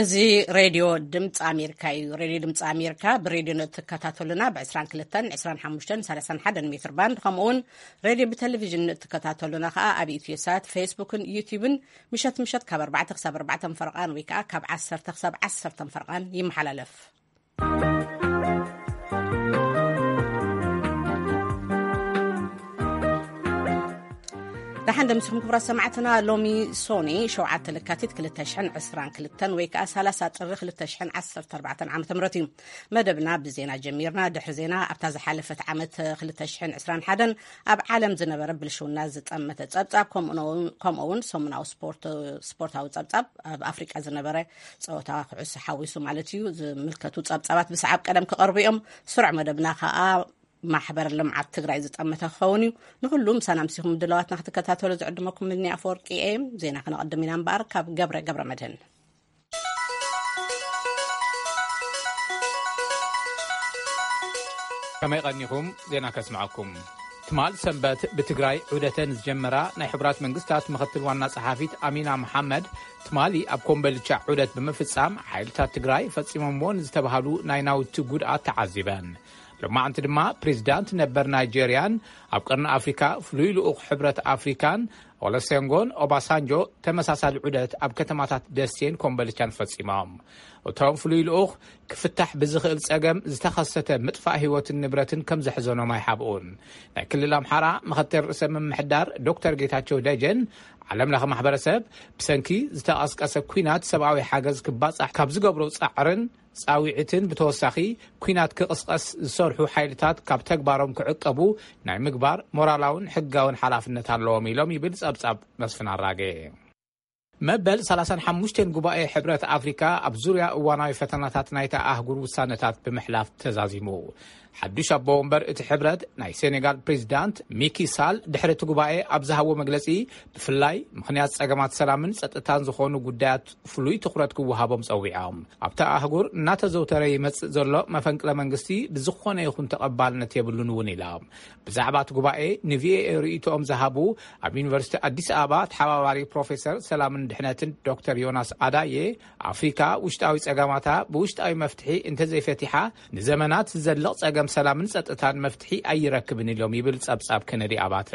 እዚ ሬድዮ ድምፂ ኣሜሪካ እዩ። ሬድዮ ድምፂ ኣሜሪካ ብሬድዮ ንእትከታተሉና ብ22፣ 25፣ 31 ሜትር ባንድ፣ ከምኡውን ሬድዮ ብቴሌቪዥን ንእትከታተሉና ከዓ ኣብ ኢትዮሳት፣ ፌስቡክን ዩቲዩብን ምሸት ምሸት ካብ ኣርባዕተ ክሳብ ኣርባዕተ ፈርቓን ወይ ከዓ ካብ ዓሰርተ ክሳብ ዓሰርተ ፈርቓን ይመሓላለፍ። ደሓን ደምስኹም ክቡራት ሰማዕትና። ሎሚ ሶኒ ሸውዓተ ለካቲት ክልተ ሽሕን ዕስራን ክልተን ወይ ከዓ ሰላሳ ጥሪ ክልተ ሽሕን ዓሰርተ ኣርባዕተን ዓመተ ምህረት እዩ። መደብና ብዜና ጀሚርና። ድሕሪ ዜና ኣብታ ዝሓለፈት ዓመት ክልተ ሽሕን ዕስራን ሓደን ኣብ ዓለም ዝነበረ ብልሽውና ዝጠመተ ጸብጻብ፣ ከምኡ እውን፣ ከምኡ እውን ሰሙናዊ ስፖርት፣ ስፖርታዊ ጸብጻብ፣ ኣብ ኣፍሪቃ ዝነበረ ጸወታ ኩዕሶ ሓዊሱ ማለት እዩ፣ ዝምልከቱ ጸብጻባት ብሰዓብ ቀደም ክቐርቡ እዮም። ስሩዕ መደብና ከኣ ማሕበር ልምዓት ትግራይ ዝጠመተ ክኸውን እዩ። ንኹሉ ምሳና ምሲኹም ድለዋትና ክትከታተሉ ዝዕድመኩም ምድኒ ኣፈወርቂ እየ። ዜና ክነቐድም ኢና እምበኣር ካብ ገብረ ገብረ መድህን። ከመይ ቀኒኹም? ዜና ከስምዐኩም። ትማል ሰንበት ብትግራይ ዑደተን ዝጀመራ ናይ ሕቡራት መንግስታት ምኽትል ዋና ጸሓፊት ኣሚና መሓመድ፣ ትማሊ ኣብ ኮምበልቻ ዑደት ብምፍጻም፣ ሓይልታት ትግራይ ፈጺሞምዎ ንዝተባሃሉ ናይ ናውቲ ጉድኣት ተዓዚበን። ሎማዕንቲ ድማ ፕሬዚዳንት ነበር ናይጄርያን ኣብ ቀርኒ ኣፍሪካ ፍሉይ ልኡኽ ሕብረት ኣፍሪካን ኦለሴንጎን ኦባሳንጆ ተመሳሳሊ ዑደት ኣብ ከተማታት ደሴን ኮምበልቻን ፈጺሞም። እቶም ፍሉይ ልኡኽ፣ ክፍታሕ ብዝኽእል ጸገም ዝተኸሰተ ምጥፋእ ህይወትን ንብረትን ከም ዘሕዘኖም ኣይሓብኡን። ናይ ክልል ኣምሓራ ምኽትል ርእሰ ምምሕዳር ዶክተር ጌታቸው ደጀን፣ ዓለም ለኸ ማሕበረሰብ ብሰንኪ ዝተቐስቀሰ ኲናት ሰብኣዊ ሓገዝ ክባጻሕ ካብ ዝገብሮ ጻዕርን ጻዊዕትን ብተወሳኺ፣ ኲናት ክቕስቀስ ዝሰርሑ ሓይልታት ካብ ተግባሮም ክዕቀቡ ናይ ምግባር ሞራላውን ሕጋውን ሓላፍነት ኣለዎም ኢሎም ይብል ጸብጻብ መስፍን ኣራጌ። መበል ሰላሳን ሓሙሽተን ጉባኤ ሕብረት ኣፍሪካ ኣብ ዙርያ እዋናዊ ፈተናታት ናይታ ኣህጉር ውሳነታት ብምሕላፍ ተዛዚሙ። ሓዱሽ ኣቦ ወንበር እቲ ሕብረት ናይ ሴኔጋል ፕሬዚዳንት ሚኪ ሳል ድሕሪ እቲ ጉባኤ ኣብ ዝሃቦ መግለጺ፣ ብፍላይ ምኽንያት ጸገማት ሰላምን ጸጥታን ዝኾኑ ጉዳያት ፍሉይ ትኹረት ክወሃቦም ጸዊዖም። ኣብታ ኣህጉር እናተዘውተረ ይመጽእ ዘሎ መፈንቅለ መንግስቲ ብዝኾነ ይኹን ተቐባልነት የብሉን እውን ኢሎም። ብዛዕባ እቲ ጉባኤ ንቪኦኤ ርእይቶኦም ዝሃቡ ኣብ ዩኒቨርሲቲ ኣዲስ ኣበባ ተሓባባሪ ፕሮፌሰር ሰላምን ድሕነትን ዶክተር ዮናስ ኣዳዬ፣ ኣፍሪካ ውሽጣዊ ጸገማታ ብውሽጣዊ መፍትሒ እንተዘይፈቲሓ፣ ንዘመናት ዝዘልቕ ጸገም ሰላምን ጸጥታን መፍትሒ ኣይረክብን ኢሎም ይብል ጸብጻብ ከነዲ ኣባተ።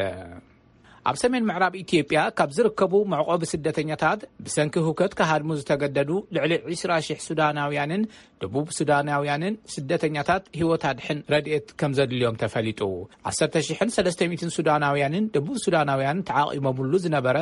ኣብ ሰሜን ምዕራብ ኢትዮጵያ ካብ ዝርከቡ መዕቆቢ ስደተኛታት ብሰንኪ ህውከት ክሃድሙ ዝተገደዱ ልዕሊ ዕስራ ሺሕ ሱዳናውያንን ደቡብ ሱዳናውያንን ስደተኛታት ህይወት ኣድሕን ረድኤት ከም ዘድልዮም ተፈሊጡ። ዓሰርተ ሽሕን ሰለስተ ሚእትን ሱዳናውያንን ደቡብ ሱዳናውያን ተዓቒቦምሉ ዝነበረ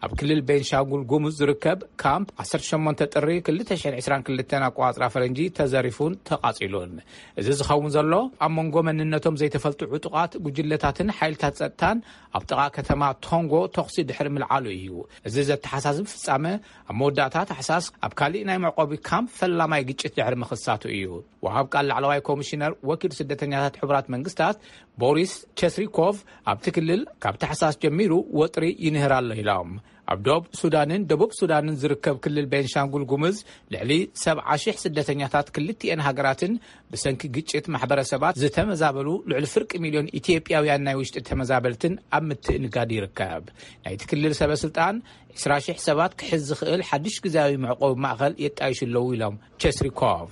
ኣብ ክልል ቤንሻንጉል ጉሙዝ ዝርከብ ካምፕ፣ ዓሰርተ ሸሞንተ ጥሪ ክልተ ሽሕን ዕስራን ክልተን ኣቆጻጽራ ፈረንጂ ተዘሪፉን ተቓጺሉን። እዚ ዝኸውን ዘሎ፣ ኣብ መንጎ መንነቶም ዘይተፈልጡ ዕጡቓት ጉጅለታትን ሓይልታት ጸጥታን ኣብ ጥቓ ከተማ ቶንጎ ተኹሲ ድሕሪ ምልዓሉ እዩ። እዚ ዘተሓሳስብ ፍጻመ፣ ኣብ መወዳእታ ታሕሳስ ኣብ ካሊእ ናይ መዕቆቢ ካምፕ ፈላማይ ግጭት ድሕሪ ምኽሳቱ እዩ። ወሃብ ቃል ላዕለዋይ ኮሚሽነር ወኪል ስደተኛታት ሕቡራት መንግስታት ቦሪስ ቸስሪኮቭ፣ ኣብቲ ክልል ካብ ታሕሳስ ጀሚሩ ወጥሪ ይንህር ኣሎ ኢሎም። ኣብ ዶብ ሱዳንን ደቡብ ሱዳንን ዝርከብ ክልል ቤንሻንጉል ጉምዝ ልዕሊ ሰብዓ ሺሕ ስደተኛታት ክልቲኤን ሃገራትን ብሰንኪ ግጭት ማሕበረሰባት ዝተመዛበሉ ልዕሊ ፍርቂ ሚልዮን ኢትዮጵያውያን ናይ ውሽጢ ተመዛበልትን ኣብ ምትእንጋድ ይርከብ። ናይቲ ክልል ሰበ ስልጣን ዕስራ ሺሕ ሰባት ክሕዝ ዝኽእል ሓድሽ ግዝያዊ መዕቆቢ ማእኸል የጣይሹ ኣለዉ ኢሎም ቸስሪኮቭ።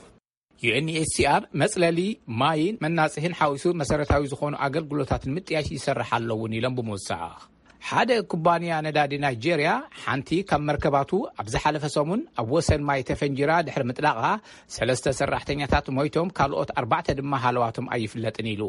ዩ ኤን ኤች ሲ ኣር መጽለሊ፣ ማይን መናጽሂን ሓዊሱ መሰረታዊ ዝኾኑ ኣገልግሎታት ንምጥያሽ ይሰርሕ ኣሎ እውን ኢሎም ብምውሳኽ፣ ሓደ ኩባንያ ነዳዲ ናይጄርያ፣ ሓንቲ ካብ መርከባቱ ኣብ ዝሓለፈ ሰሙን ኣብ ወሰን ማይ ተፈንጂራ ድሕሪ ምጥላቓ፣ ሰለስተ ሰራሕተኛታት ሞይቶም፣ ካልኦት ኣርባዕተ ድማ ሃለዋቶም ኣይፍለጥን ኢሉ።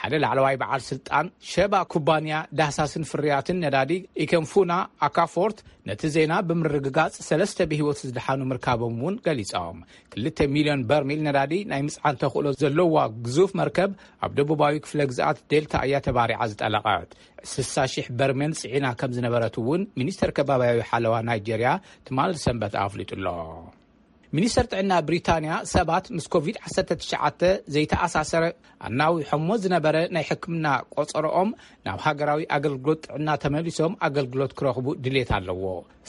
ሓደ ላዕለዋይ በዓል ስልጣን ሸባ ኩባንያ ዳህሳስን ፍርያትን ነዳዲ ኢከንፉና ኣካፎርት ነቲ ዜና ብምርግጋጽ፣ ሰለስተ ብህይወት ዝደሓኑ ምርካቦም እውን ገሊጾም። ክልተ ሚልዮን በርሚል ነዳዲ ናይ ምጽዓን ተኽእሎ ዘለዋ ግዙፍ መርከብ ኣብ ደቡባዊ ክፍለ ግዝኣት ዴልታ እያ ተባሪዓ ዝጠለቐት። ስሳ ሺሕ በርሜል ጽዒና ከም ዝነበረት እውን ሚኒስተር ከባብያዊ ሓለዋ ናይጄርያ ትማል ሰንበት ኣፍሊጡ ኣሎ። ሚኒስተር ጥዕና ብሪታንያ ሰባት ምስ ኮቪድ ዓሰርተ ትሽዓተ ዘይተኣሳሰረ ኣናዊሖሞ ዝነበረ ናይ ሕክምና ቆጸሮኦም ናብ ሃገራዊ ኣገልግሎት ጥዕና ተመሊሶም ኣገልግሎት ክረኽቡ ድሌት ኣለዎ።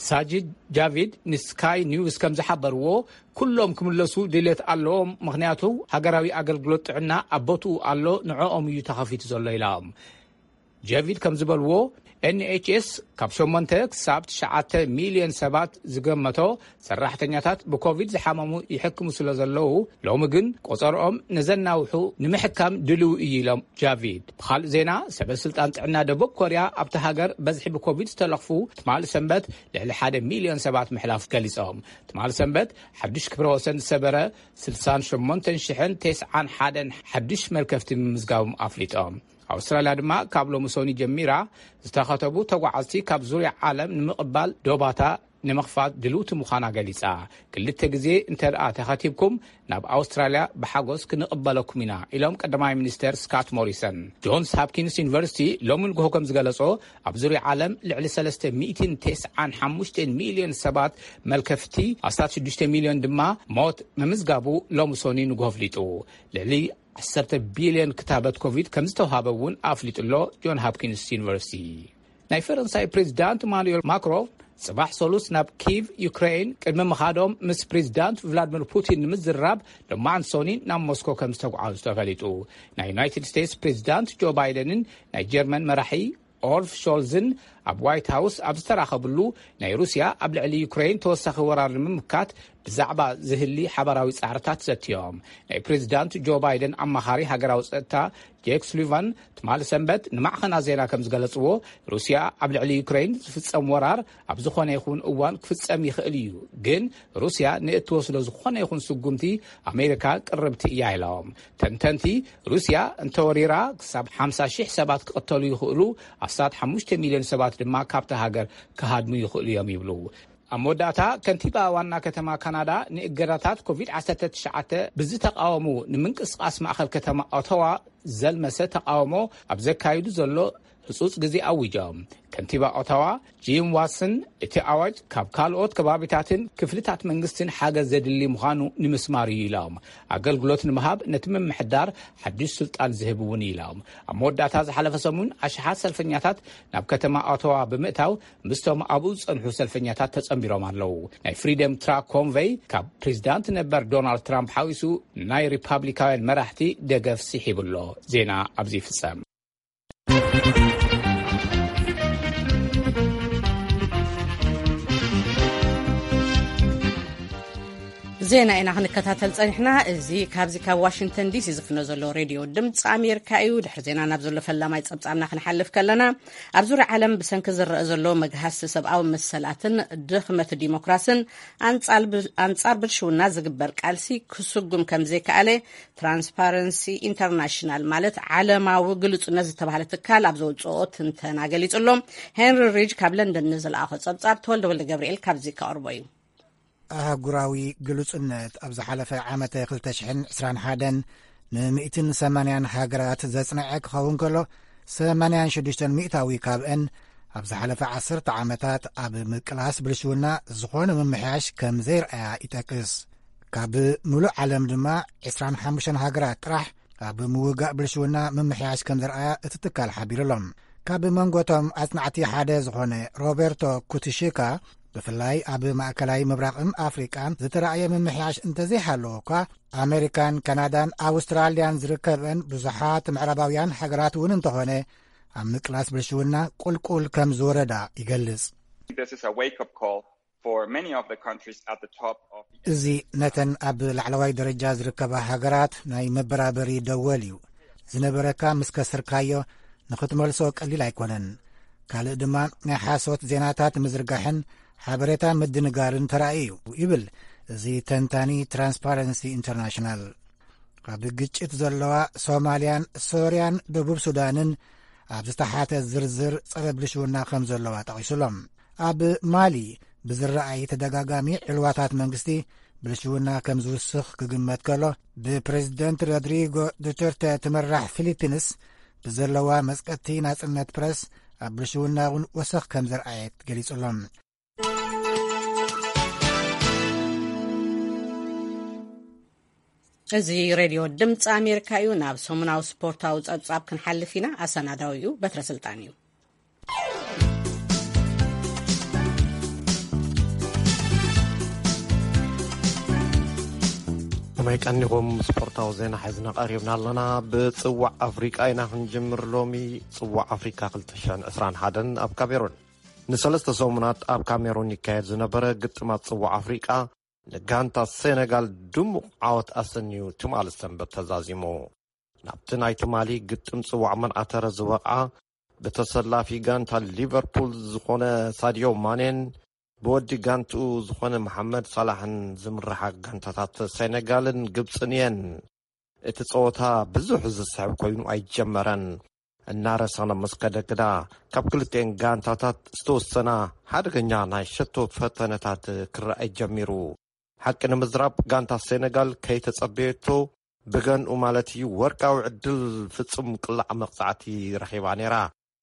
ሳጂድ ጃቪድ ንስካይ ኒውስ ከም ዝሓበርዎ፣ ኩሎም ክምለሱ ድሌት ኣለዎም፣ ምኽንያቱ ሃገራዊ ኣገልግሎት ጥዕና ኣብ ቦትኡ ኣሎ፣ ንዕኦም እዩ ተኸፊቱ ዘሎ ኢሎም። ጀቪድ ከም ዝበልዎ፣ ኤንኤችኤስ ካብ ሸሞንተ ክሳብ ትሽዓተ ሚልዮን ሰባት ዝገመቶ ሰራሕተኛታት ብኮቪድ ዝሓመሙ ይሕክሙ ስለ ዘለዉ፣ ሎሚ ግን ቆጸርኦም ነዘናውሑ ንምሕካም ድልው እዩ ኢሎም ጃቪድ። ብኻልእ ዜና፣ ሰበ ስልጣን ጥዕና ደቡብ ኮርያ ኣብቲ ሃገር በዝሒ ብኮቪድ ዝተለኽፉ ትማሊ ሰንበት ልዕሊ ሓደ ሚልዮን ሰባት ምሕላፍ ገሊጾም። ትማሊ ሰንበት ሓድሽ ክብረ ወሰን ዝሰበረ ስልሳን ሸሞንተን ሽሕን ተስዓን ሓደን ሓድሽ መልከፍቲ ምምዝጋቦም ኣፍሊጦም። ኣውስትራልያ ድማ ካብ ሎሚ ሶኒ ጀሚራ ዝተኸተቡ ተጓዓዝቲ ካብ ዙርያ ዓለም ንምቕባል ዶባታ ንምኽፋት ድልውቲ ምዃና ገሊጻ። ክልተ ግዜ እንተ ደኣ ተኸቲብኩም ናብ ኣውስትራልያ ብሓጎስ ክንቕበለኩም ኢና ኢሎም ቀዳማይ ሚኒስተር ስካት ሞሪሰን። ጆንስ ሃፕኪንስ ዩኒቨርሲቲ ሎሚ ንግሆ ከም ዝገለጾ ኣብ ዙርያ ዓለም ልዕሊ ሰለስተ ሚእትን ተስዓን ሓሙሽተን ሚልዮን ሰባት መልከፍቲ ኣስታት ሽዱሽተ ሚልዮን ድማ ሞት ምምዝጋቡ ሎሚ ሶኒ ንግሆ ኣፍሊጡ። ልዕሊ ዓሰርተ ቢልዮን ክታበት ኮቪድ ከም ዝተውሃበ እውን ኣፍሊጡ ኣሎ ጆን ሃፕኪንስ ዩኒቨርሲቲ። ናይ ፈረንሳይ ፕሬዚዳንት ኢማኑኤል ማክሮን ጽባሕ ሰሉስ ናብ ኪቭ ዩክሬን ቅድሚ ምኻዶም ምስ ፕሬዚዳንት ቭላድሚር ፑቲን ንምዝራብ ሎማዓንቲ ሶኒ ናብ ሞስኮ ከም ዝተጓዓዙ ተፈሊጡ። ናይ ዩናይትድ ስቴትስ ፕሬዚዳንት ጆ ባይደንን ናይ ጀርመን መራሒ ኦልፍ ሾልዝን ኣብ ዋይት ሃውስ ኣብ ዝተራኸብሉ ናይ ሩስያ ኣብ ልዕሊ ዩክሬን ተወሳኺ ወራር ንምምካት ብዛዕባ ዝህሊ ሓባራዊ ጻዕርታት ዘትዮም። ናይ ፕሬዚዳንት ጆ ባይደን ኣማኻሪ ሃገራዊ ጸጥታ ጄክ ሱሊቫን ትማሊ ሰንበት ንማዕኸናት ዜና ከም ዝገለጽዎ፣ ሩስያ ኣብ ልዕሊ ዩክሬን ዝፍጸም ወራር ኣብ ዝኾነ ይኹን እዋን ክፍጸም ይኽእል እዩ፣ ግን ሩስያ ንእትወስዶ ዝኾነ ይኹን ስጉምቲ ኣሜሪካ ቅርብቲ እያ ኢሎም። ተንተንቲ፣ ሩስያ እንተወሪራ ክሳብ ሓምሳ ሺሕ ሰባት ክቕተሉ ይኽእሉ፣ ኣስታት ሓሙሽተ ሚልዮን ሰባት ድማ ካብታ ሃገር ክሃድሙ ይኽእሉ እዮም ይብሉ። ኣብ መወዳእታ፣ ከንቲባ ዋና ከተማ ካናዳ ንእገዳታት ኮቪድ ዓሰርተ ትሽዓተ ብዝተቃወሙ ንምንቅስቃስ ማእኸል ከተማ ኦቶዋ ዘልመሰ ተቃውሞ ኣብ ዘካይዱ ዘሎ ህጹጽ ግዜ ኣዊጆም። ከንቲባ ኦታዋ ጂም ዋትሰን፣ እቲ ኣዋጅ ካብ ካልኦት ከባቢታትን ክፍልታት መንግስትን ሓገዝ ዘድሊ ምዃኑ ንምስማር እዩ ኢሎም። ኣገልግሎት ንምሃብ ነቲ ምምሕዳር ሓድሽ ስልጣን ዝህብ እውን ኢሎም። ኣብ መወዳእታ ዝሓለፈ ሰሙን ኣሽሓት ሰልፈኛታት ናብ ከተማ ኦታዋ ብምእታው ምስቶም ኣብኡ ዝጸንሑ ሰልፈኛታት ተጸንቢሮም ኣለዉ። ናይ ፍሪደም ትራክ ኮንቨይ ካብ ፕሬዚዳንት ነበር ዶናልድ ትራምፕ ሓዊሱ ናይ ሪፓብሊካውያን መራሕቲ ደገፍ ስሒቡ ኣሎ። ዜና ኣብዚ ይፍጸም። ዜና ኢና ክንከታተል ጸኒሕና። እዚ ካብዚ ካብ ዋሽንግተን ዲሲ ዝፍኖ ዘሎ ሬድዮ ድምፂ ኣሜሪካ እዩ። ድሕሪ ዜና ናብ ዘሎ ፈላማይ ጸብጻብና ክንሓልፍ ከለና፣ ኣብ ዙርያ ዓለም ብሰንኪ ዝረአ ዘሎ መግሃስቲ ሰብኣዊ መሰላትን ድኽመት ዲሞክራስን ኣንጻል ብ-፣ ኣንጻር ብልሽውና ዝግበር ቃልሲ ክስጉም ከም ዘይከኣለ ትራንስፓረንሲ ኢንተርናሽናል፣ ማለት ዓለማዊ ግሉጽነት ዝተባህለ ትካል ኣብ ዘውጽኦ ትንተና ገሊጹ ኣሎ። ሄንሪ ሪጅ ካብ ለንደን ንዝለኣኾ ጸብጻብ ተወልደ ወልደ ገብርኤል ካብዚ ከቕርቦ እዩ። ኣህጉራዊ ግሉጽነት ኣብ ዝሓለፈ ዓመተ ክልተ ሽሕን ዕስራን ሓደን ንሚእትን ሰማንያን ሃገራት ዘጽንዐ ክኸውን ከሎ፣ ሰማንያን ሽዱሽተን ሚእታዊ ካብአን ኣብ ዝሓለፈ ዓሰርተ ዓመታት ኣብ ምቅላስ ብልሽውና ዝኾነ ምምሕያሽ ከም ዘይረኣያ ይጠቅስ። ካብ ምሉእ ዓለም ድማ ዕስራን ሓሙሽተን ሃገራት ጥራሕ ኣብ ምውጋእ ብልሽውና ምምሕያሽ ከም ዘርኣያ እቲ ትካል ሓቢሩ ኣሎ። ካብ መንጎቶም ኣጽናዕቲ ሓደ ዝኾነ ሮቤርቶ ኩትሽካ፣ ብፍላይ ኣብ ማእከላይ ምብራቕን ኣፍሪቃን ዝተራእየ ምምሕያሽ እንተዘይሃለዎ እኳ፣ ኣሜሪካን ካናዳን ኣውስትራልያን ዝርከበን ብዙሓት ምዕራባውያን ሃገራት እውን እንተኾነ፣ ኣብ ምቅላስ ብልሽውና ቁልቁል ከም ዝወረዳ ይገልጽ። This is a wake-up call for many of the countries at the top of the እዚ ነተን ኣብ ላዕለዋይ ደረጃ ዝርከባ ሃገራት ናይ መበራበሪ ደወል እዩ። ዝነበረካ ምስ ከሰርካዮ ንኽትመልሶ ቀሊል ኣይኮነን። ካልእ ድማ ናይ ሓሶት ዜናታት ምዝርጋሕን ሓበሬታ ምድንጋርን ተራእዩ እዩ ይብል እዚ ተንታኒ ትራንስፓረንሲ ኢንተርናሽናል። ኣብ ግጭት ዘለዋ ሶማልያን ሶርያን ደቡብ ሱዳንን ኣብ ዝተሓተ ዝርዝር ጸረ ብልሽውና ከም ዘለዋ ጠቒሱሎም። ኣብ ማሊ ብዝረኣይ ተደጋጋሚ ዕልዋታት መንግስቲ ብልሽውና ከም ዝውስኽ ክግመት ከሎ፣ ብፕሬዚደንት ሮድሪጎ ዱተርተ ትምራሕ ፊሊፒንስ ብዘለዋ መጽቀቲ ናጽነት ፕረስ ኣብ ብልሽውና እውን ወሰኽ ከም ዘርኣየት ገሊጹሎም። እዚ ሬድዮ ድምፂ ኣሜሪካ እዩ። ናብ ሰሙናዊ ስፖርታዊ ጸብጻብ ክንሓልፍ ኢና። ኣሰናዳዊ እዩ በትረ ስልጣን እዩ። ከመይ ቀኒኹም? ስፖርታዊ ዜና ሒዝና ቀሪብና ኣለና። ብጽዋዕ ኣፍሪቃ ኢና ክንጅምር። ሎሚ ጽዋዕ ኣፍሪቃ ክልተ ሽሕን ዕስራን ሓደን ኣብ ካሜሩን ንሰለስተ ሰሙናት ኣብ ካሜሩን ይካየድ ዝነበረ ግጥማት ጽዋዕ ኣፍሪቃ ንጋንታ ሴነጋል ድሙቕ ዓወት ኣሰንዩ ትማሊ ሰንበት ተዛዚሙ። ናብቲ ናይ ትማሊ ግጥም ጽዋዕ መን ኣተረ ዝበቕዓ ብተሰላፊ ጋንታ ሊቨርፑል ዝኾነ ሳድዮ ማኔን ብወዲ ጋንትኡ ዝኾነ መሓመድ ሳላሕን ዝምርሓ ጋንታታት ሴነጋልን ግብጽን እየን። እቲ ጸወታ ብዙሕ ዝስሕብ ኮይኑ ኣይጀመረን። እናረሰነ ምስ ከደ ግዳ ካብ ክልቲኤን ጋንታታት ዝተወሰና ሓደገኛ ናይ ሸቶ ፈተነታት ክረኣይ ጀሚሩ። ሓቂ ንምዝራብ ጋንታ ሴነጋል ከይተጸበየቶ ብገንኡ ማለት እዩ ወርቃዊ ዕድል ፍጹም ቅላዕ መቕጻዕቲ ረኺባ ነይራ።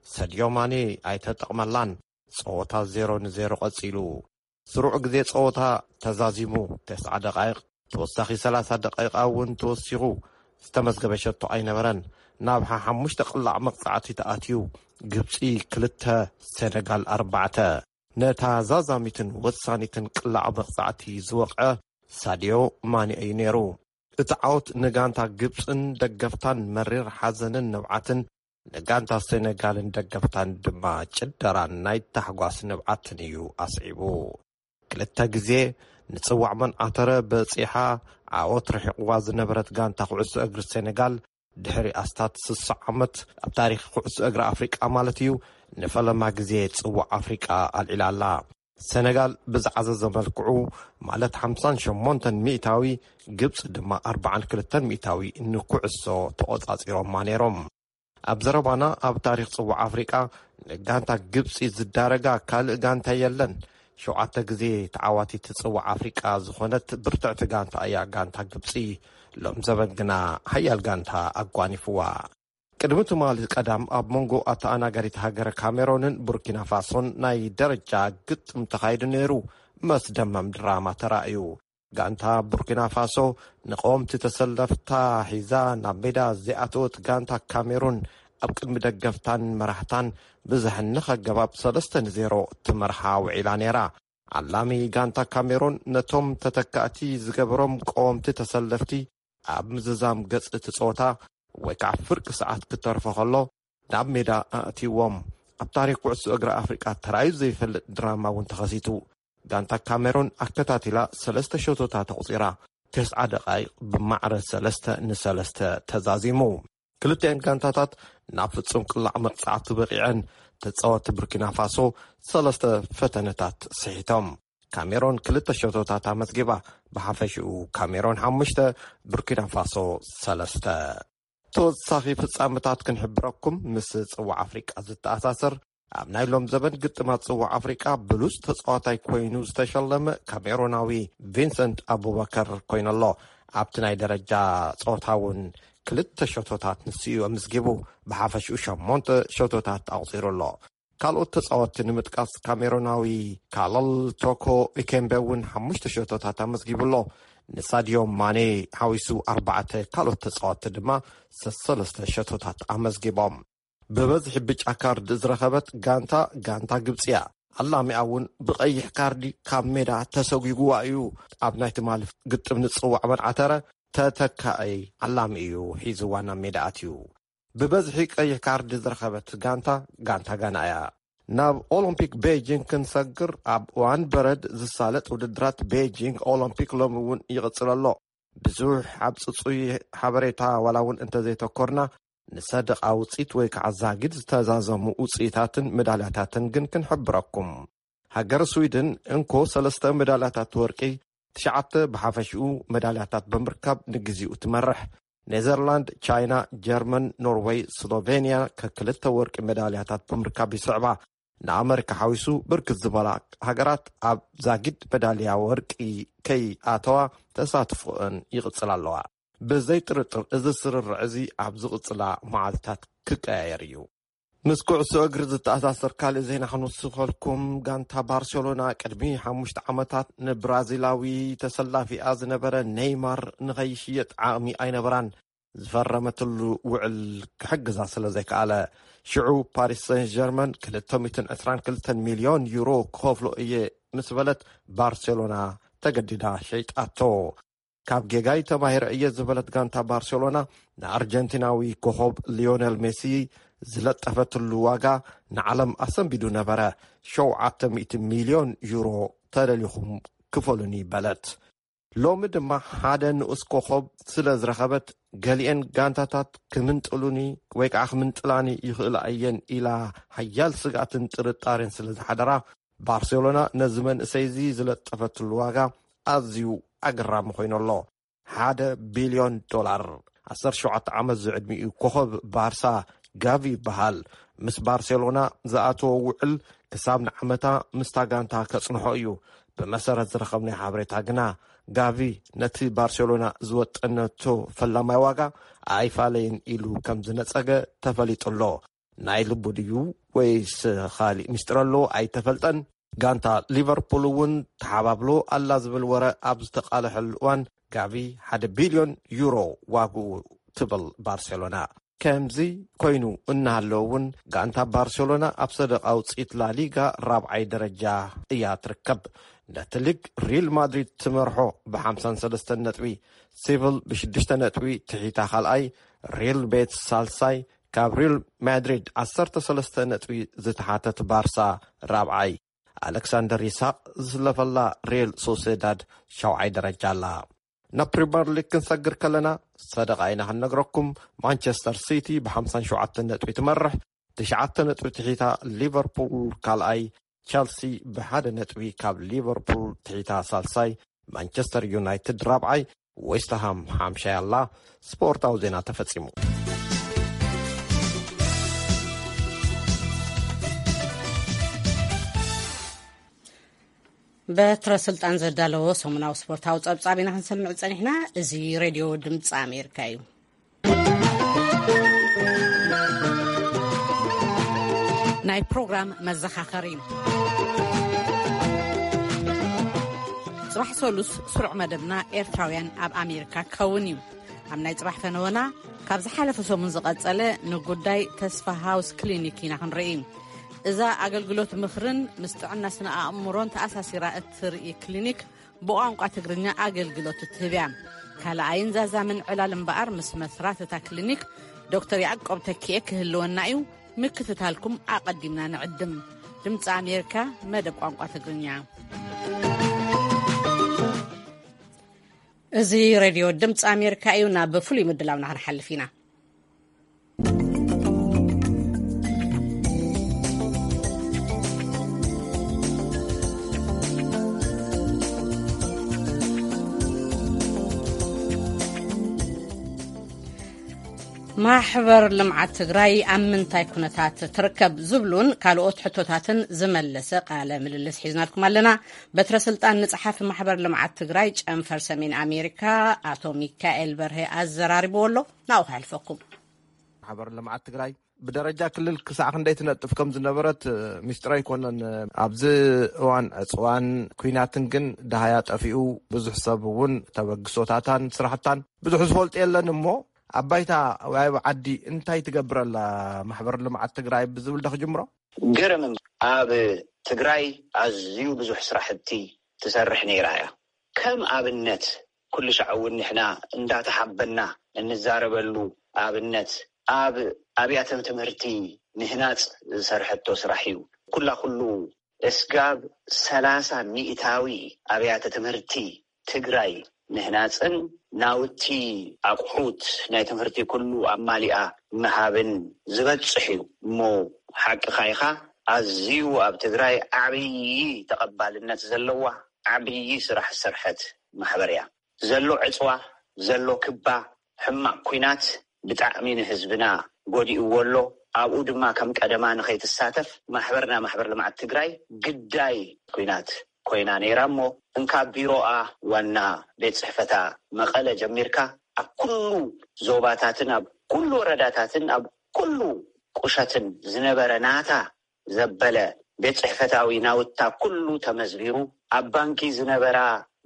ሰድዮ ማኔ ኣይተጠቕመላን። ጸወታ ዜሮ ንዜሮ ቀጺሉ። ስሩዕ ግዜ ጸወታ ተዛዚሙ። ተስዓ ደቓይቕ፣ ተወሳኺ ሰላሳ ደቓይቓ እውን ተወሲኹ። ዝተመዝገበ ሸቶ ኣይነበረን። ናብ ሓሓሙሽተ ቅላዕ መቕጻዕቲ ተኣትዩ። ግብጺ ክልተ፣ ሴነጋል ኣርባዕተ። ነታ ዛዛሚትን ወሳኒትን ቅላዕ መቕጻዕቲ ዝወቕዐ ሳድዮ ማኔ እዩ ነይሩ። እቲ ዓወት ንጋንታ ግብጽን ደገፍታን መሪር ሓዘንን ንብዓትን፣ ንጋንታ ሴነጋልን ደገፍታን ድማ ጭደራን ናይ ታሕጓስ ንብዓትን እዩ ኣስዒቡ። ክልተ ግዜ ንጽዋዕ መን ኣተረ በጺሓ ዓወት ርሒቕዋ ዝነበረት ጋንታ ኩዕሶ እግሪ ሴነጋል፣ ድሕሪ ኣስታት ስሳ ዓመት ኣብ ታሪኽ ኩዕሶ እግሪ ኣፍሪቃ ማለት እዩ፣ ንፈለማ ግዜ ጽዋዕ ኣፍሪቃ ኣልዒላ ኣላ። ሰነጋል ብዝዓዘዘ መልክዑ፣ ማለት ሓምሳን ሸሞንተን ሚእታዊ፣ ግብጺ ድማ ኣርባዓን ክልተን ሚእታዊ ንኩዕሶ ተቖጻጺሮማ ነይሮም። ኣብ ዘረባና፣ ኣብ ታሪኽ ጽዋዕ ኣፍሪቃ ንጋንታ ግብጺ ዝዳረጋ ካልእ ጋንታ የለን። ሸውዓተ ግዜ ተዓዋቲት ጽዋዕ ኣፍሪቃ ዝኾነት ብርትዕቲ ጋንታ እያ ጋንታ ግብጺ። ሎም ዘበን ግና ሓያል ጋንታ ኣጓኒፍዋ። ቅድሚ ትማሊ ቀዳም ኣብ መንጎ ኣተኣናጋሪት ሃገረ ካሜሮንን ቡርኪና ፋሶን ናይ ደረጃ ግጥም ተኻይዱ ነይሩ። መስደመም ድራማ ተራእዩ። ጋንታ ቡርኪና ፋሶ ንቀወምቲ ተሰለፍታ ሒዛ ናብ ሜዳ ዘይኣተወት ጋንታ ካሜሩን ኣብ ቅድሚ ደገፍታን መራሕታን ብዘሕንኽ ኣገባብ ሰለስተ ንዜሮ ትመርሓ ውዒላ ነይራ። ዓላሚ ጋንታ ካሜሩን ነቶም ተተካእቲ ዝገበሮም ቀወምቲ ተሰለፍቲ ኣብ ምዝዛም ገጽ እቲ ጸወታ ወይ ከዓ ፍርቂ ሰዓት ክተርፎ ከሎ ናብ ሜዳ ኣእትይዎም። ኣብ ታሪኽ ኩዕሶ እግሪ ኣፍሪቃ ተራእዩ ዘይፈልጥ ድራማ እውን ተኸሲቱ። ጋንታ ካሜሩን ኣከታቲላ ሰለስተ ሸቶታት ኣቑጺራ። ተስዓ ደቓይቕ ብማዕረ ሰለስተ ንሰለስተ ተዛዚሙ። ክልቲኤን ጋንታታት ናብ ፍጹም ቅላዕ መቕጻዕቲ በቒዐን። ተጻወትቲ ቡርኪና ፋሶ ሰለስተ ፈተነታት ስሒቶም። ካሜሮን ክልተ ሸቶታት ኣመዝጊባ። ብሓፈሽኡ ካሜሮን ሓሙሽተ፣ ቡርኪና ፋሶ ሰለስተ። ተወሳኺ ፍጻመታት ክንሕብረኩም። ምስ ጽዋዕ ኣፍሪቃ ዝተኣሳሰር ኣብ ናይ ሎም ዘበን ግጥማት ጽዋዕ ኣፍሪቃ ብሉጽ ተጻዋታይ ኮይኑ ዝተሸለመ ካሜሮናዊ ቪንሰንት ኣቡበከር ኮይኑሎ። ኣብቲ ናይ ደረጃ ጸወታ እውን ክልተ ሸቶታት ንሱ እዩ ኣምዝጊቡ። ብሓፈሽኡ ሸሞንተ ሸቶታት ኣቑጺሩ ኣሎ። ካልኦት ተጻወትቲ ንምጥቃስ ካሜሮናዊ ካለል ቶኮ ኢኬምቤ እውን ሓሙሽተ ሸቶታት ኣመዝጊቡ ኣሎ። ንሳድዮ ማኔ ሓዊሱ ኣርባዕተ ካልኦት ተጻወትቲ ድማ ሰሰለስተ ሸቶታት ኣመዝጊቦም። ብበዝሒ ብጫ ካርድ ዝረኸበት ጋንታ፣ ጋንታ ግብጺ እያ። ኣላሚኣ እውን ብቐይሕ ካርዲ ካብ ሜዳ ተሰጒግዋ እዩ። ኣብ ናይ ትማሊ ግጥም ንጽዋዕ መን ኣተረ ተተካኣይ ኣላሚ እዩ ሒዝዋ ናብ ሜዳ ኣትዩ። ብበዝሒ ቀይሕ ካርዲ ዝረኸበት ጋንታ፣ ጋንታ ጋና እያ። ናብ ኦሎምፒክ ቤጂንግ ክንሰግር፣ ኣብ እዋን በረድ ዝሳለጥ ውድድራት ቤጂንግ ኦሎምፒክ ሎሚ እውን ይቕጽል ኣሎ። ብዙሕ ኣብ ጽጹይ ሓበሬታ ዋላ እውን እንተዘይተኮርና፣ ንሰደቓ ውጽኢት ወይ ከዓ ዛጊድ ዝተዛዘሙ ውጽኢታትን መዳልያታትን ግን ክንሕብረኩም። ሃገር ስዊድን እንኮ ሰለስተ መዳልያታት ወርቂ፣ ትሽዓተ ብሓፈሽኡ መዳልያታት ብምርካብ ንግዜኡ ትመርሕ። ኔዘርላንድ፣ ቻይና፣ ጀርመን፣ ኖርወይ፣ ስሎቬንያ ከክልተ ወርቂ መዳልያታት ብምርካብ ይስዕባ። ንኣመሪካ ሓዊሱ ብርክት ዝበላ ሃገራት ኣብ ዛጊድ መዳልያ ወርቂ ከይኣተዋ ተሳትፎአን ይቕጽላ ኣለዋ። ብዘይ ጥርጥር እዚ ስርርዕ እዚ ኣብ ዝቕጽላ መዓልታት ክቀያየር እዩ። ምስ ኩዕሶ እግሪ ዝተኣሳሰር ካልእ ዜና ክንውስኸልኩም፣ ጋንታ ባርሴሎና ቅድሚ ሓሙሽተ ዓመታት ንብራዚላዊ ተሰላፊኣ ዝነበረ ኔይማር ንኸይሽየጥ ዓቕሚ ኣይነበራን። ዝፈረመትሉ ውዕል ክሕግዛ ስለ ዘይከኣለ፣ ሽዑ ፓሪስ ሰን ጀርመን ክልተ ሚእትን ዕስራን ክልተን ሚልዮን ዩሮ ክኸፍሎ እየ ምስ በለት፣ ባርሴሎና ተገዲዳ ሸይጣቶ። ካብ ጌጋይ ተማሂረ እየ ዝበለት ጋንታ ባርሴሎና፣ ንኣርጀንቲናዊ ኮኸብ ሊዮነል ሜሲ ዝለጠፈትሉ ዋጋ ንዓለም ኣሰንቢዱ ነበረ። "ሸውዓተ ሚእቲ ሚልዮን ዩሮ ተደሊኹም ክፈሉኒ" በለት። ሎሚ ድማ ሓደ ንኡስ ኮኸብ ስለ ዝረኸበት፣ ገሊኤን ጋንታታት ክምንጥሉኒ ወይ ከዓ ክምንጥላኒ ይኽእላ እየን ኢላ ሓያል ስግኣትን ጥርጣሬን ስለ ዝሓደራ፣ ባርሴሎና ነዚ መንእሰይ እዚ ዝለጠፈትሉ ዋጋ ኣዝዩ ኣገራሚ ኮይኑ ኣሎ። ሓደ ቢልዮን ዶላር። ዓሰርተ ሸውዓተ ዓመት ዝዕድሚኡ ኮኸብ ባርሳ ጋቪ ይበሃል። ምስ ባርሴሎና ዝኣተዎ ውዕል ክሳብ ንዓመታ ምስታ ጋንታ ከጽንሖ እዩ። ብመሰረት ዝረኸብናዮ ሓበሬታ ግና፣ ጋቪ ነቲ ባርሴሎና ዝወጠነቶ ፈላማይ ዋጋ ኣይፋለየን ኢሉ ከም ዝነጸገ ተፈሊጡ ኣሎ። ናይ ልቡ ድዩ ወይስ ኻሊእ ሚስጥር ኣለዎ ኣይተፈልጠን። ጋንታ ሊቨርፑል እውን ተሓባብሎ ኣላ ዝብል ወረ ኣብ ዝተቓለሐሉ እዋን፣ ጋቪ ሓደ ቢልዮን ዩሮ ዋግኡ ትብል ባርሴሎና። ከምዚ ኮይኑ እናሃለወ እውን፣ ጋንታ ባርሴሎና ኣብ ሰደቓ ውፅኢት ላሊጋ ራብዓይ ደረጃ እያ ትርከብ። ነቲ ሊግ ሪል ማድሪድ ትመርሖ ብ53 ነጥቢ፣ ሴቪል ብሽዱሽተ ነጥቢ ትሒታ ካልኣይ፣ ሪል ቤትስ ሳልሳይ፣ ካብ ሪል ማድሪድ ዓሰርተ ሰለስተ ነጥቢ ዝተሓተት ባርሳ ራብዓይ፣ ኣሌክሳንደር ይስሐቅ ዝስለፈላ ሪል ሶሴዳድ ሻውዓይ ደረጃ ኣላ። ናብ ፕሪምየር ሊግ ክንሰግር ከለና፣ ሰደቓ ኢና ክንነግረኩም። ማንቸስተር ሲቲ ብ57 ነጥቢ ትመርሕ፣ ትሽዓተ ነጥቢ ትሒታ ሊቨርፑል ካልኣይ፣ ቸልሲ ብሓደ ነጥቢ ካብ ሊቨርፑል ትሒታ ሳልሳይ፣ ማንቸስተር ዩናይትድ ራብዓይ፣ ዌስትሃም ሓምሻይ ኣላ። ስፖርታዊ ዜና ተፈጺሙ። በትረ ስልጣን ዘዳለዎ ሰሙናዊ ስፖርታዊ ጸብጻብ ኢና ክንሰምዕ ጸኒሕና። እዚ ሬድዮ ድምፂ ኣሜሪካ እዩ። ናይ ፕሮግራም መዘኻኸሪ። ጽባሕ ሰሉስ ስሩዕ መደብና ኤርትራውያን ኣብ ኣሜሪካ ክኸውን እዩ። ኣብ ናይ ጽባሕ ፈነወና፣ ካብ ዝሓለፈ ሰሙን ዝቐጸለ ንጉዳይ ተስፋ ሃውስ ክሊኒክ ኢና ክንርኢ። እዛ ኣገልግሎት ምኽርን ምስ ጥዕና ስነ ኣእምሮን ተኣሳሲራ እትርኢ ክሊኒክ፣ ብቋንቋ ትግርኛ ኣገልግሎት እትህብ እያ። ካልኣይን ዛዛምን ዕላል እምበኣር፣ ምስ መስራት እታ ክሊኒክ ዶክተር ያዕቆብ ተኪኤ ክህልወና እዩ። ምክትታልኩም ኣቐዲምና ንዕድም። ድምፂ ኣሜሪካ፣ መደብ ቋንቋ ትግርኛ። እዚ ሬድዮ ድምፂ ኣሜሪካ እዩ። ናብ ፍሉይ ምድላውና ክንሓልፍ ኢና። ማሕበር ልምዓት ትግራይ ኣብ ምንታይ ኩነታት ትርከብ ዝብሉን ካልኦት ሕቶታትን ዝመለሰ ቃለ ምልልስ ሒዝናልኩም ኣለና። በትረ ስልጣን ንጸሓፊ ማሕበር ልምዓት ትግራይ ጨንፈር ሰሜን ኣሜሪካ ኣቶ ሚካኤል በርሄ ኣዘራሪብዎ ኣሎ። ናብኡ ከሕልፈኩም። ማሕበር ልምዓት ትግራይ ብደረጃ ክልል ክሳዕ ክንደይ ትነጥፍ ከም ዝነበረት፣ እ፣ ሚስጥር ኣይኮነን። ኣብዚ እዋን ዕፅዋን ኲናትን ግን ደሃያ ጠፊኡ፣ ብዙሕ ሰብ እውን ተበግሶታታን ስራሕታን ብዙሕ ዝፈልጦ የለን። እሞ ኣብ ባይታ ወይ ኣብ ዓዲ እንታይ ትገብር ኣላ ማሕበር ልምዓት ትግራይ ብዝብል ዶ ክጅምሮ? ገረም እምበር፣ ኣብ ትግራይ ኣዝዩ ብዙሕ ስራሕቲ ትሰርሕ ነይራ እያ። ከም ኣብነት፣ ኩሉ ሻዕ እውን ንሕና እንዳተሓበና እንዛረበሉ ኣብነት፣ ኣብ ኣብያተ ትምህርቲ ምህናፅ ዝሰርሐቶ ስራሕ እዩ። ኩላ ኩሉ እስጋብ ሰላሳ ሚእታዊ ኣብያተ ትምህርቲ ትግራይ ምህናፅን ናውቲ ኣቑሑት ናይ ትምህርቲ ኩሉ ኣማሊኣ ምሃብን ዝበፅሕ እዩ። እሞ ሓቅኻ ኢኻ፣ ኣዝዩ ኣብ ትግራይ ዓብዪ ተቐባልነት ዘለዋ፣ ዓብዪ ስራሕ ዝሰርሐት ማሕበር እያ። ዘሎ ዕፅዋ፣ ዘሎ ክባ፣ ሕማቕ ኲናት ብጣዕሚ ንህዝብና ጎዲእዎ ኣሎ። ኣብኡ ድማ ከም ቀደማ ንኸይትሳተፍ ማሕበርና ማሕበር ልምዓት ትግራይ ግዳይ ኲናት ኮይና ነይራ። እሞ እንካ ቢሮኣ፣ ዋና ቤት ጽሕፈታ መቐለ ጀሚርካ፣ ኣብ ኩሉ ዞባታትን ኣብ ኩሉ ወረዳታትን ኣብ ኩሉ ቁሸትን ዝነበረ ናታ ዘበለ ቤት ጽሕፈታዊ ናውታ ኩሉ ተመዝቢሩ፣ ኣብ ባንኪ ዝነበራ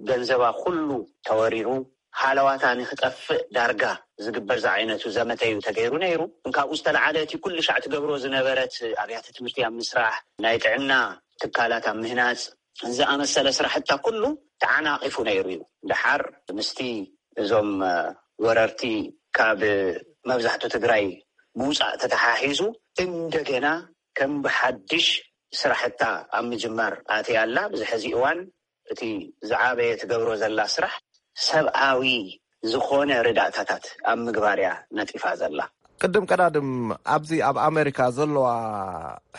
ገንዘባ ኩሉ ተወሪሩ፣ ሃለዋታ ንክጠፍእ ዳርጋ ዝግበር ዝዓይነቱ ዘመተ እዩ ተገይሩ ነይሩ። እንካብኡ ዝተለዓለ እቲ ኩሉ ሻዕ ትገብሮ ዝነበረት ኣብያተ ትምህርቲ ኣብ ምስራሕ፣ ናይ ጥዕና ትካላት ኣብ ምህናጽ፣ ዝኣመሰለ ስራሕታ ኩሉ ተዓናቒፉ ነይሩ እዩ። ደሓር ምስቲ እዞም ወረርቲ ካብ መብዛሕቱ ትግራይ ምውፃእ ተተሓሒዙ፣ እንደገና ከም ብሓድሽ ስራሕታ ኣብ ምጅማር ኣትያ ኣላ። ብዚ ሕዚ እዋን እቲ ዝዓበየ ትገብሮ ዘላ ስራሕ ሰብኣዊ ዝኾነ ርዳእታታት ኣብ ምግባር እያ ነጢፋ ዘላ። ቅድም ቀዳድም ኣብዚ ኣብ ኣሜሪካ ዘለዋ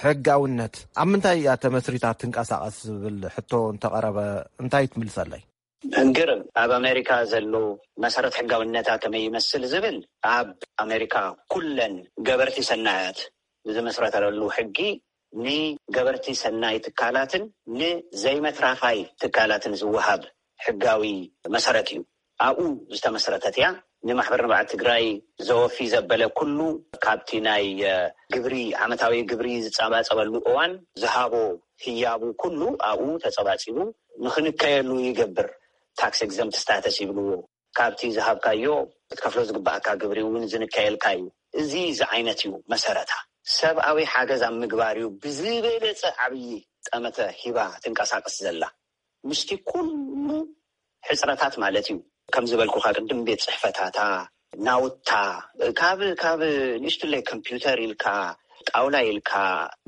ሕጋውነት ኣብ ምንታይ እያ ተመስሪታ ትንቀሳቐስ ዝብል ሕቶ እንተቐረበ እንታይ ትምልሰለይ? እንግርም ኣብ ኣሜሪካ ዘሎ መሰረት ሕጋውነታ ከመይ ይመስል ዝብል፣ ኣብ ኣሜሪካ ኩለን ገበርቲ ሰናያት ዝመስረተለሉ ሕጊ ንገበርቲ ሰናይ ትካላትን ንዘይመትራፋይ ትካላትን ዝወሃብ ሕጋዊ መሰረት እዩ። ኣብኡ ዝተመስረተት እያ። ንማሕበር ንብዓት ትግራይ ዘወፊ ዘበለ ኩሉ ካብቲ ናይ ግብሪ፣ ዓመታዊ ግብሪ ዝፀባፀበሉ እዋን ዝሃቦ ህያቡ ኩሉ ኣብኡ ተፀባፂቡ ንክንከየሉ ይገብር። ታክስ ኤግዘምት ስታተስ ይብልዎ። ካብቲ ዝሃብካዮ ክትከፍሎ ዝግባእካ ግብሪ እውን ዝንከየልካ እዩ። እዚ ዝዓይነት እዩ መሰረታ። ሰብኣዊ ሓገዝ ኣብ ምግባር እዩ ብዝበለፀ ዓብዪ ጠመተ ሂባ ትንቀሳቀስ ዘላ፣ ምስቲ ኩሉ ሕፅረታት ማለት እዩ። ከም ዝበልኩካ ቅድም፣ ቤት ፅሕፈታታ፣ ናውታ፣ ካብ ካብ ንእሽትለይ ኮምፒውተር ኢልካ፣ ጣውላ ኢልካ፣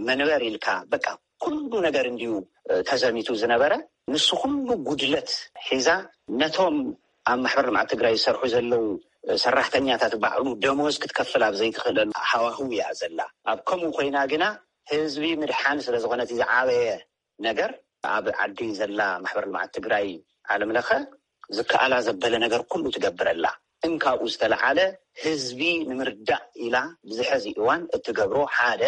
መንበር ኢልካ፣ በቃ ኩሉ ነገር እንዲዩ ተዘሚቱ ዝነበረ። ንሱ ኩሉ ጉድለት ሒዛ ነቶም ኣብ ማሕበር ልምዓት ትግራይ ዝሰርሑ ዘለዉ ሰራሕተኛታት ባዕሉ ደሞዝ ክትከፍል ኣብ ዘይትኽእለሉ ሃዋህው እያ ዘላ። ኣብ ከምኡ ኮይና ግና ህዝቢ ምድሓን ስለ ዝኾነ እቲ ዝዓበየ ነገር፣ ኣብ ዓዲ ዘላ ማሕበር ልምዓት ትግራይ ዓለም ለኸ ዝከኣላ ዘበለ ነገር ኩሉ ትገብረላ። እንካብኡ ዝተለዓለ ህዝቢ ንምርዳእ ኢላ ብዝሐዚ እዋን እትገብሮ ሓደ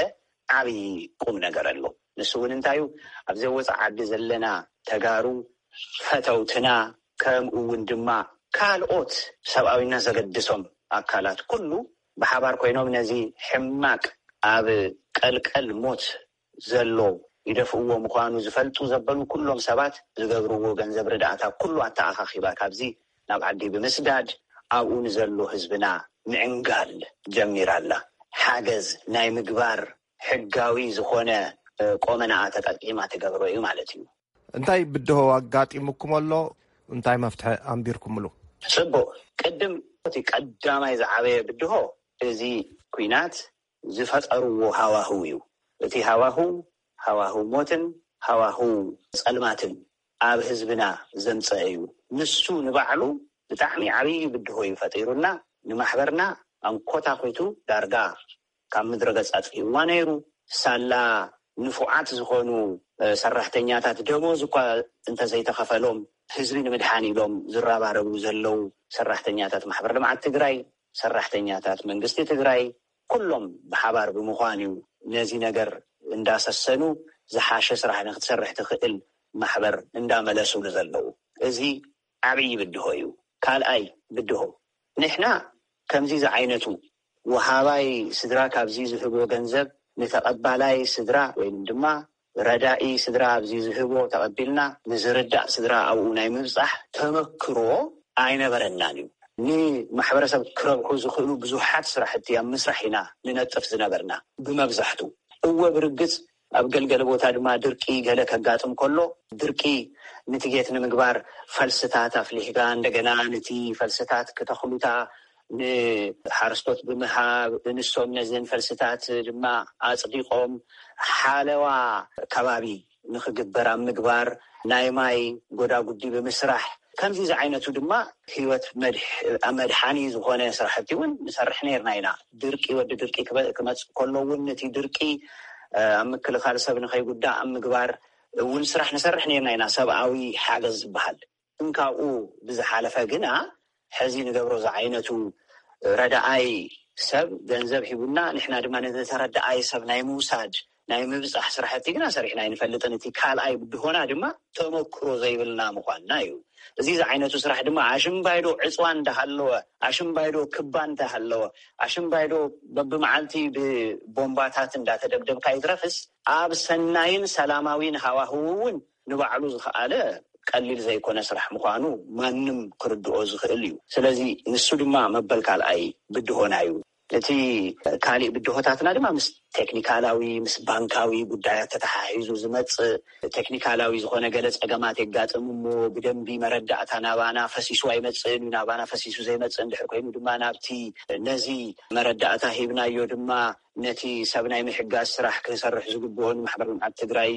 ዓብዪ ቁም ነገር ኣሎ። ንሱ እውን እንታይ እዩ? ኣብ ዘይወፃእ ዓዲ ዘለና ተጋሩ ፈተውትና፣ ከምኡ እውን ድማ ካልኦት ሰብኣዊነት ዘገድሶም ኣካላት ኩሉ ብሓባር ኮይኖም ነዚ ሕማቅ ኣብ ቀልቀል ሞት ዘሎ ይደፍእዎ ምዃኑ ዝፈልጡ ዘበሉ ኩሎም ሰባት ዝገብርዎ ገንዘብ ርዳእታ ኩሉ ኣተኣኻኺባ ካብዚ ናብ ዓዲ ብምስዳድ ኣብኡ ንዘሎ ህዝብና ምዕንጋል ጀሚራ ኣላ። ሓገዝ ናይ ምግባር ሕጋዊ ዝኾነ ቆመናኣ ተጠቂማ ትገብሮ እዩ ማለት እዩ። እንታይ ብድሆ ኣጋጢሙኩም ኣሎ? እንታይ መፍትሒ ኣንቢርኩምሉ? ጽቡቕ። ቅድም እቲ ቀዳማይ ዝዓበየ ብድሆ እዚ ኲናት ዝፈጠርዎ ሃዋህው እዩ። እቲ ሃዋህው፣ ሃዋህው ሞትን ሃዋህው ጸልማትን ኣብ ህዝብና ዘምጸአ እዩ። ንሱ ንባዕሉ ብጣዕሚ ዓብዪ ብድሆ እዩ ፈጢሩና። ንማሕበርና ኣንኮታኺቱ ዳርጋ ካብ ምድረ ገጽ ኣጥፊእዋ ነይሩ። ሳላ ንፉዓት ዝኾኑ ሰራሕተኛታት ደሞዝ እኳ እንተዘይተኸፈሎም፣ ህዝቢ ንምድሓን ኢሎም ዝረባረቡ ዘለዉ ሰራሕተኛታት ማሕበር ልምዓት ትግራይ፣ ሰራሕተኛታት መንግስቲ ትግራይ፣ ኩሎም ብሓባር ብምዃን እዩ ነዚ ነገር እንዳሰሰኑ ዝሓሸ ስራሕ ንክትሰርሕ ትኽእል ማሕበር እንዳመለሱሉ ዘለዉ። እዚ ዓብዪ ብድሆ እዩ። ካልኣይ ብድሆ፣ ንሕና ከምዚ ዝዓይነቱ ወሃባይ ስድራ ካብዚ ዝህቦ ገንዘብ ንተቐባላይ ስድራ ወይም ድማ ረዳኢ ስድራ ኣብዚ ዝህቦ ተቐቢልና ንዝርዳእ ስድራ ኣብኡ ናይ ምብጻሕ ተመክሮ ኣይነበረናን እዩ። ንማሕበረሰብ ክረብሑ ዝኽእሉ ብዙሓት ስራሕቲ ኣብ ምስራሕ ኢና ንነጥፍ ዝነበርና ብመብዛሕቱ። እወ፣ ብርግጽ ኣብ ገልገለ ቦታ ድማ ድርቂ ገለ ከጋጥም ከሎ፣ ድርቂ ሚቲጌት ንምግባር ፈልስታት ኣፍሊሕካ፣ እንደገና ነቲ ፈልስታት ክተኽሉታ ንሓረስቶት ብምሃብ፣ ንሶም ነዘን ፈልስታት ድማ ኣጽዲቖም ሓለዋ ከባቢ ንኽግበር ኣብ ምግባር፣ ናይ ማይ ጎዳጉዲ ብምስራሕ፣ ከምዚ ዝዓይነቱ ድማ ህይወት መድሕ-፣ መድሓኒ ዝኾነ ስራሕቲ እውን ንሰርሕ ነይርና ኢና። ድርቂ፣ ወዲ ድርቂ ክበ-፣ ክመጽእ ከሎ እውን ነቲ ድርቂ፣ እ፣ ኣብ ምክልኻል ሰብ ንኸይጉዳእ ኣብ ምግባር እውን ስራሕ ንሰርሕ ነይርና ኢና። ሰብኣዊ ሓገዝ ዝበሃል እንካብኡ ብዝሓለፈ ግና፣ ሕዚ ንገብሮ ዝዓይነቱ ረዳኣይ ሰብ ገንዘብ ሂቡና፣ ንሕና ድማ ነቲ ተረዳኣይ ሰብ ናይ ምውሳድ፣ ናይ ምብጻሕ ስራሕቲ ግና ሰሪሕና ኣይንፈልጥን። እቲ ካልኣይ ብድሆና ድማ ተመክሮ ዘይብልና ምዃንና እዩ። እዚ ዝዓይነቱ ስራሕ ድማ ኣሽምባይዶ ዕፅዋ እንዳሃለወ፣ ኣሽምባይዶ ክባ እንዳሃለወ፣ ኣሽምባይዶ በብመዓልቲ ብቦምባታት እንዳተደብደብካ ይትረፍስ፣ ኣብ ሰናይን ሰላማዊን ሃዋህው እውን ንባዕሉ ዝኸኣለ ቀሊል ዘይኮነ ስራሕ ምዃኑ ማንም ክርድኦ ዝኽእል እዩ። ስለዚ ንሱ ድማ መበል ካልኣይ ብድሆና እዩ። እቲ ካሊእ ብድሆታትና ድማ ምስ ቴክኒካላዊ፣ ምስ ባንካዊ ጉዳያት ተተሓሒዙ ዝመጽእ ቴክኒካላዊ ዝኾነ ገለ ጸገማት የጋጥም እሞ፣ ብደንቢ መረዳእታ ናባና ፈሲሱ ኣይመጽእን እዩ። ናባና ፈሲሱ ዘይመጽእ እንድሕር ኮይኑ ድማ፣ ናብቲ፣ ነዚ መረዳእታ ሂብናዮ ድማ፣ ነቲ ሰብ ናይ ምሕጋዝ ስራሕ ክንሰርሕ ዝግብኦ ንማሕበር ልምዓት ትግራይ፣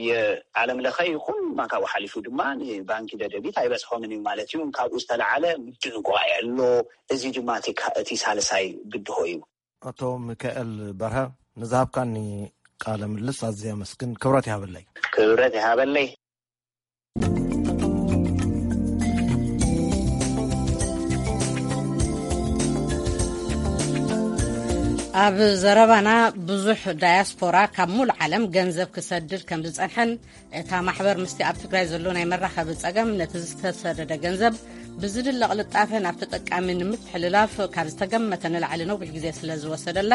ዓለም ለኸ ይኹን ካብኡ ሓሊፉ ድማ ንባንኪ ደደቢት ኣይበጽሖምን እዩ ማለት እዩ። ካብኡ ዝተለዓለ ምድንጓይ ኣሎ። እዚ ድማ እቲ ካ-፣ እቲ ሳልሳይ ብድሆ እዩ። ኣቶ ሚካኤል በርሀ፣ ንዝሃብካኒ ቃለ ምልልስ ኣዝየ ኣመስግን። ክብረት ይሃበለይ። ክብረት ይሃበለይ። ኣብ ዘረባና፣ ብዙሕ ዳያስፖራ ካብ ሙሉእ ዓለም ገንዘብ ክሰድድ ከም ዝጸንሐን፣ እታ ማሕበር ምስቲ ኣብ ትግራይ ዘሎ ናይ መራኸቢ ጸገም፣ ነቲ ዝተሰደደ ገንዘብ ብዝድለ ቅልጣፈ ናብ ተጠቃሚ ንምትሕልላፍ ካብ ዝተገመተ ንላዕሊ ነዊሕ ግዜ ስለ ዝወሰደላ፣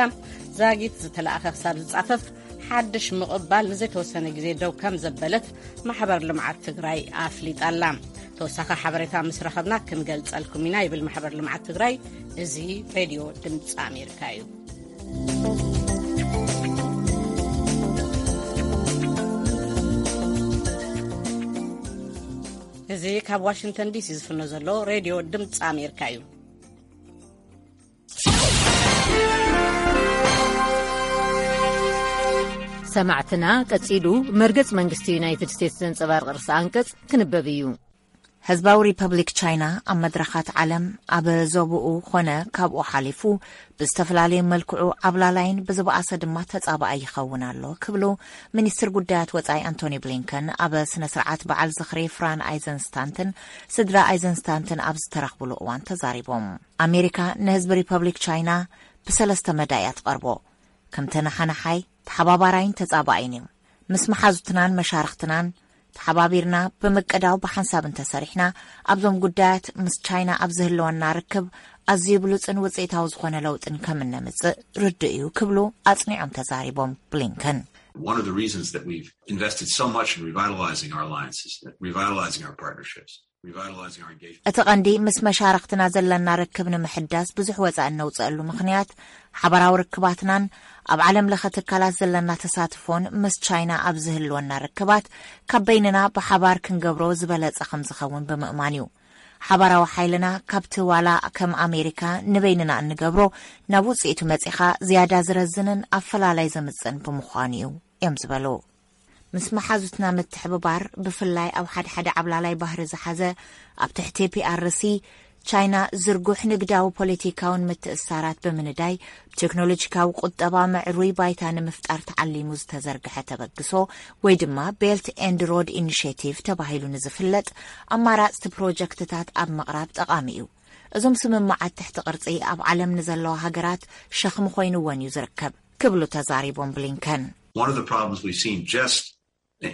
ዛጊት ዝተለኣኸ ክሳብ ዝጻፈፍ፣ ሓድሽ ምቕባል ንዘይተወሰነ ግዜ ደው ከም ዘበለት ማሕበር ልምዓት ትግራይ ኣፍሊጣ ኣላ። ተወሳኺ ሓበሬታ ምስ ረኸብና ክንገልጸልኩም ኢና፣ ይብል ማሕበር ልምዓት ትግራይ። እዚ ሬድዮ ድምፂ ኣሜሪካ እዩ። እዚ ካብ ዋሽንግተን ዲሲ ዝፍኖ ዘሎ ሬድዮ ድምፂ ኣሜሪካ እዩ። ሰማዕትና፣ ቀጺሉ መርገጽ መንግስቲ ዩናይትድ ስቴትስ ዘንጸባርቕ ርእሰ ኣንቀጽ ክንበብ እዩ። ህዝባዊ ሪፐብሊክ ቻይና ኣብ መድረኻት ዓለም፣ ኣብ ዞባኡ ኾነ ካብኡ ሓሊፉ ብዝተፈላለየ መልክዑ ዓብላላይን ብዝበኣሰ ድማ ተጻባኣይ ይኸውን ኣሎ ክብሉ ሚኒስትር ጉዳያት ወጻኢ ኣንቶኒ ብሊንከን ኣብ ስነ ስርዓት በዓል ዝኽሪ ፍራን ኣይዘንስታንትን ስድራ ኣይዘንስታንትን ኣብ ዝተረኽብሉ እዋን ተዛሪቦም። ኣሜሪካ ንህዝቢ ሪፐብሊክ ቻይና ብሰለስተ መዳ እያ ትቐርቦ። ከም ተነሓናሓይ፣ ተሓባባራይን ተጻባኣይን እዩ። ምስ መሓዙትናን መሻርኽትናን ተሓባቢርና ብምቅዳው ብሓንሳብ እንተሰሪሕና፣ ኣብዞም ጉዳያት ምስ ቻይና ኣብ ዝህልወና ርክብ ኣዝዩ ብሉጽን ውጽኢታዊ ዝኾነ ለውጥን ከም እነምጽእ ርዱእ እዩ ክብሉ ኣጽኒዖም ተዛሪቦም ብሊንከን። One of the reasons that we've invested so much in revitalizing our alliances, revitalizing our partnerships, revitalizing our engagement. እቲ ቀንዲ ምስ መሻርኽትና ዘለና ርክብ ንምሕዳስ ብዙሕ ወጻኢ እነውጽአሉ ምኽንያት፣ ሓባራዊ ርክባትናን ኣብ ዓለም ለኸ ትካላት ዘለና ተሳትፎን ምስ ቻይና ኣብ ዝህልወና ርክባት ካብ በይንና ብሓባር ክንገብሮ ዝበለጸ ከም ዝኸውን ብምእማን እዩ። ሓባራዊ ሓይልና ካብቲ ዋላ ከም ኣሜሪካ ንበይንና እንገብሮ ናብ ውጽኢቱ መጺኻ ዝያዳ ዝረዝንን ኣፈላላይ ዘምጽእን ብምዃኑ እዩ እዮም ዝበሉ። ምስ መሓዙትና ምትሕብባር፣ ብፍላይ ኣብ ሓደ ሓደ ዓብላላይ ባህሪ ዝሓዘ፣ ኣብ ትሕቲ ፒኣርሲ ቻይና ዝርጉሕ ንግዳዊ ፖለቲካውን ምትእስሳራት ብምንዳይ፣ ብቴክኖሎጂካዊ ቁጠባ ምዕሩይ ባይታ ንምፍጣር ተዓሊሙ ዝተዘርግሐ ተበግሶ፣ ወይ ድማ ቤልት ኤንድ ሮድ ኢኒሼቲቭ ተባሂሉ ንዝፍለጥ ኣማራጽቲ ፕሮጀክትታት ኣብ ምቕራብ ጠቓሚ እዩ። እዞም ስምምዓት ትሕቲ ቅርጺ ኣብ ዓለም ንዘለዋ ሃገራት ሸኽሚ ኮይንወን እዩ ዝርከብ ክብሉ ተዛሪቦም ብሊንከን። One of the problems we've seen just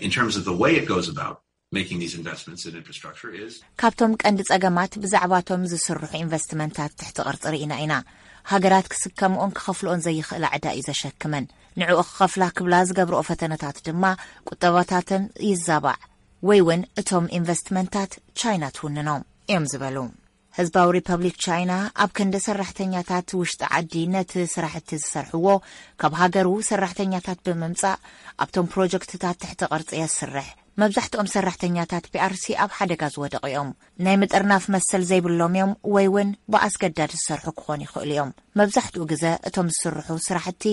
in terms of the way it goes about making these investments in infrastructure is ካብቶም ቀንዲ ጸገማት ብዛዕባቶም ዝስርሑ ኢንቨስትመንታት ትሕቲ ቅርጺ ርኢና ኢና። ሃገራት ክስከምኦን ክኸፍልኦን ዘይኽእላ ዕዳ እዩ ዘሸክመን። ንዕኡ ክኸፍላ ክብላ ዝገብርኦ ፈተነታት ድማ ቁጠባታተን ይዛባዕ ወይ እውን እቶም ኢንቨስትመንታት ቻይና ትውንኖም እዮም ዝበሉ። ህዝባዊ ሪፐብሊክ ቻይና ኣብ ክንዲ ሰራሕተኛታት ውሽጢ ዓዲ ነቲ ስራሕቲ ዝሰርሕዎ ካብ ሃገሩ ሰራሕተኛታት ብምምጻእ ኣብቶም ፕሮጀክትታት ትሕቲ ቅርጺ የስርሕ። መብዛሕትኦም ሰራሕተኛታት ፒኣርሲ ኣብ ሓደጋ ዝወደቑ እዮም። ናይ ምጥርናፍ መሰል ዘይብሎም እዮም ወይ እውን ብኣስገዳድ ዝሰርሑ ክኾኑ ይኽእሉ እዮም። መብዛሕትኡ ግዘ እቶም ዝስርሑ ስራሕቲ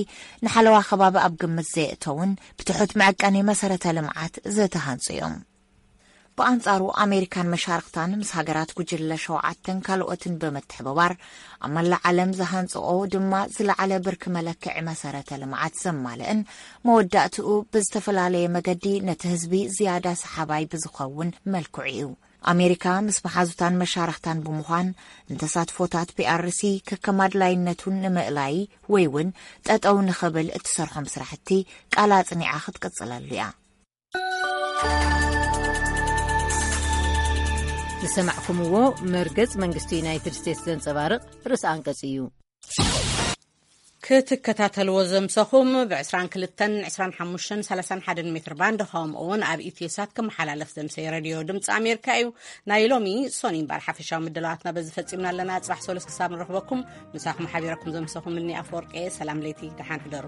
ንሓለዋ ከባቢ ኣብ ግምት ዘየእተውን ብትሑት መዐቀኒ መሰረተ ልምዓት ዝተሃንጹ እዮም። ብኣንጻሩ ኣሜሪካን መሻርኽታን ምስ ሃገራት ጉጅለ ሸውዓተን ካልኦትን ብምትሕብባር ኣብ መላእ ዓለም ዝሃንጽኦ ድማ ዝለዓለ ብርኪ መለክዒ መሰረተ ልምዓት ዘማልእን መወዳእትኡ ብዝተፈላለየ መገዲ ነቲ ህዝቢ ዝያዳ ሰሓባይ ብዝኸውን መልክዑ እዩ። ኣሜሪካ ምስ መሓዙታን መሻርኽታን ብምዃን ንተሳትፎታት ፒኣርሲ ከከም ኣድላይነቱን ንምእላይ ወይ እውን ጠጠው ንኽብል እትሰርሖም ስራሕቲ ቃል ኣጽኒዓ ክትቅጽለሉ እያ። ዝሰማዕኩምዎ መርገጽ መንግስቲ ዩናይትድ ስቴትስ ዘንጸባርቕ ርእሲ ኣንቀጽ እዩ። ክትከታተልዎ ዘምሰኹም ብ22፣ 25፣ 31 ሜትር ባንድ፣ ከምኡ እውን ኣብ ኢትዮሳት ክመሓላለፍ ዘምሰይ ሬድዮ ድምፂ ኣሜሪካ እዩ። ናይ ሎሚ ሶኒ እምበኣር ሓፈሻዊ ምድላዋትና በዚ ፈፂምና ኣለና። ፅባሕ ሰሉስ ክሳብ ንረኽበኩም፣ ምሳኹም ሓቢረኩም ዘምሰኹም እኒ ኣፈወርቂ። ሰላም ለይቲ፣ ደሓን ሕደሩ።